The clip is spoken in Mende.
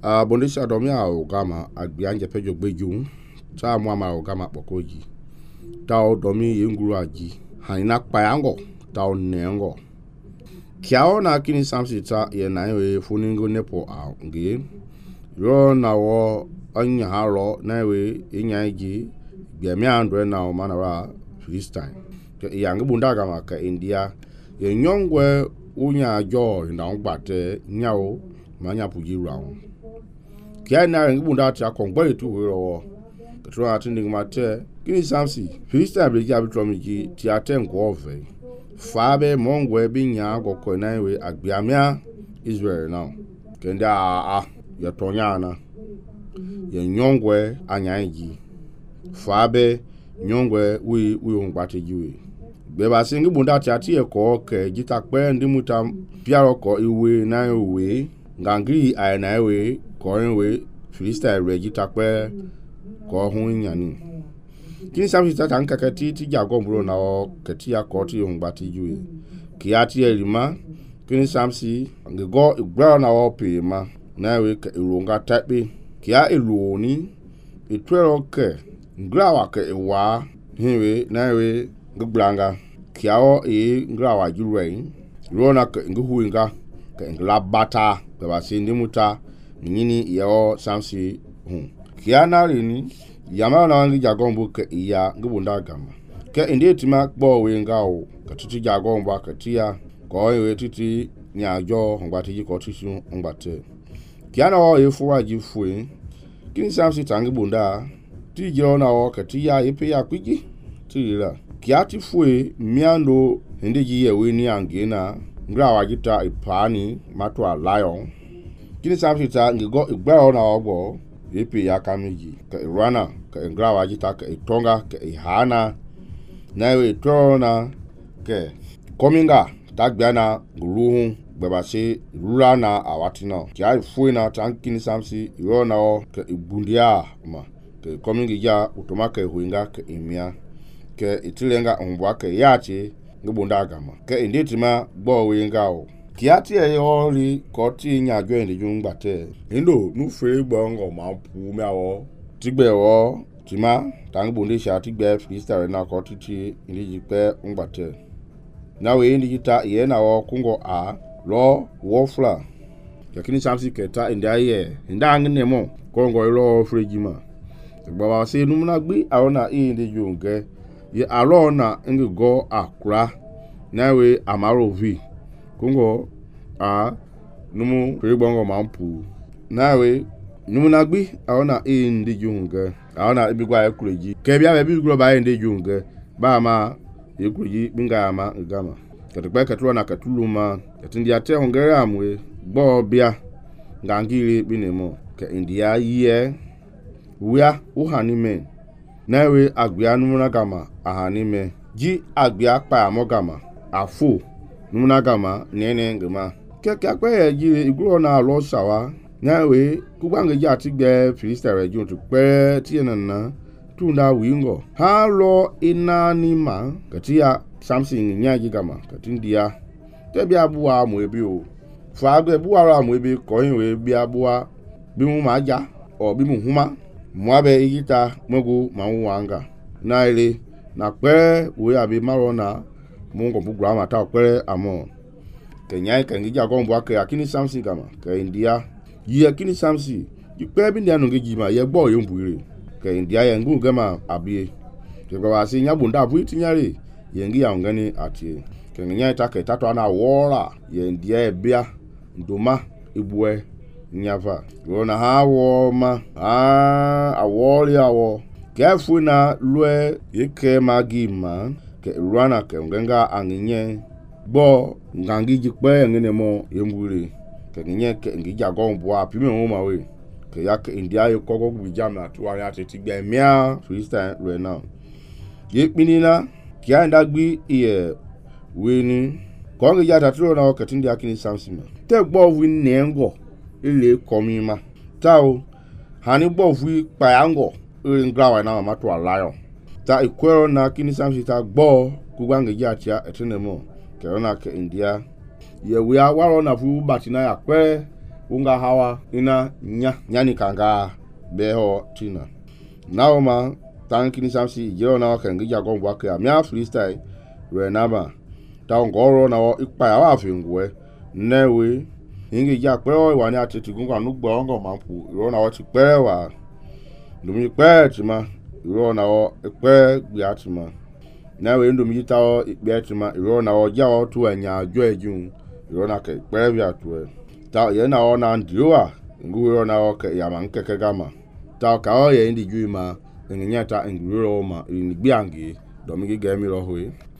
Bondesha domia o gama agbianje pejo gbeju ta muama o gama pokoji ta domi yenguru aji haina payango ta nengo kiao na kini samsi ta ye na we funingo nepo a ngi ro na wo anya haro na we inyaji biami andwe na o manara Philistine ke yang bunda gama ka India ye nyongwe unya jo na ngbate nyao manya puji round kia na ngi bunda ta kongbe tu ro tro atinding mate kini samsi Philistine be jabi tromiji ti aten gove fabe mongwe binya goko na we agbiamia Israel now kenda ya tonyana ye nyongwe anyaji fabe nyongwe wi ngbate jiwe be ba singi bunda ti ati eko ke jita pe ndimuta piaro ko iwe na we ngangi ai na we ko we Philistine regita pe ko hun nyani kini samsi ta tanka kati ti jago bro na o kati ya ko ti ngbate jiwe ki ati elima kini samsi ngego igba na o pe ma na we ke ironga tape kia eloni etwero ke ngrawa ke ewa hiwe na we ngblanga kiao ngrawa jurein rona ke nguhuinga ke nglabata ke basindi muta nyini yo samsi kiana rini yama na ngi jagombu ke iya ngubunda gama ke indetima gbo we ngao ke titi jagombu ke tia ko we titi nyajo ngbati ji ko tisu ngbate kiana o efuwa ji fue kini samsi tangi bunda ti jona o ke tia ipe ya kwiji tira kiati fue miando hendeji ye we ni angena ngrawa jita ipani matwa lion kini samsi ta ngigo igba na ogbo ipe ya kamiji ke rana ke ngrawa jita ke itonga ke ihana na we tona ke kominga tagbiana guluhu gbebase rurana awatina kia fue na tankini samsi irona o ke ibundia ma ke komingi ya utoma ke huinga ke imia ke itilenga ombwa ke yachi ngibunda gama ke indetima gbo we ngao kiati e yori koti nya gwe ndi jungbate indo nu fe gbongo ma pu meawo tigbe wo tima tangbunde sha tigbe Philistine na koti ti indiji pe ngbate na we indiji ta ye na wo kungo a lo wofla yakini samsi keta indaye ndangne mo kongo lo frejima baba se numna gbi awona indi junge ye alona ngi go akura nawe amarovi kungo numu prigbongo mampu nawe numu nagbi awona indi junge awona ibigwa ekureji kebia be bigro ba indi junge ba ma ekureji binga ama gama katukwa katulona katuluma katindi ate hongere amwe gbo bia ngangiri binemo ke india ye wia uhanime nawe agbia numuna gama ahanime ji agbia pa amogama afu numuna gama nene ngema keke akpe ji iguro na lo sawa nawe kugbange ji atigbe Philistine region to pe tienana tunda wingo ha lo inanima katia something nyaji gama katindia tebia buwa mu ebi o fa agbe buwa ra mu ebi ko yin we bia buwa bi mu ma ja o bi mu huma muabe igita mogu mawanga na ile na pe we abi marona mungo bugura mata pe amo kenya kan gija gombo ake akini samsi gama ke India yi akini samsi yi pe bi ndia no ngejima ye gbo ye mbuire ke India ye ngu gama abie ke kwa si nya bunda bu itinyare ye ngi ya ngani atie kenya ta ke tato na wora ye India e bia ndoma ibue nyava rona hawo ma awori awo kefu na lue yeke magima ke rana ke ngenga anginye bo ngangi jikpe ngene mo yembure ke nyenye ke ngija gombo apime mo mawe ke yak India ye kogo bijama tuwa ya tetigbe mia Philistine lue na yekpinina kia ndagbi iye weni ko ngija tatro na ke tindi akini samsima te gbo wi nengo ile komima tao hani bovu payango ile ngrawa na matu alayo ta ikwero na kini samsi ta gbo kugbange jatia etenemo ke ona ke India ye we awaro na fu batina ya pe unga hawa ina nyani kanga beho tina now ma tankini samsi jero na kan gija gon wake amia freestyle re naba ta ngoro na wo ipa ya wa fingwe newe ingi ja pe o wa ni atiti gunga nu gbo ngo mapu ro na wo ti pe wa ndumi pe ti ma ro na wo pe gbi atima newe ndumi ta o pe ti ma ro na wo ja o tu enya ajo ejun ro na ke pe bi atu ta ye na o na ndiwa ngu ro na o ke ya man keke gama ta ka o ye ndi ju ma ngenya ta nguro ma ni gbiangi do mi ge mi ro hui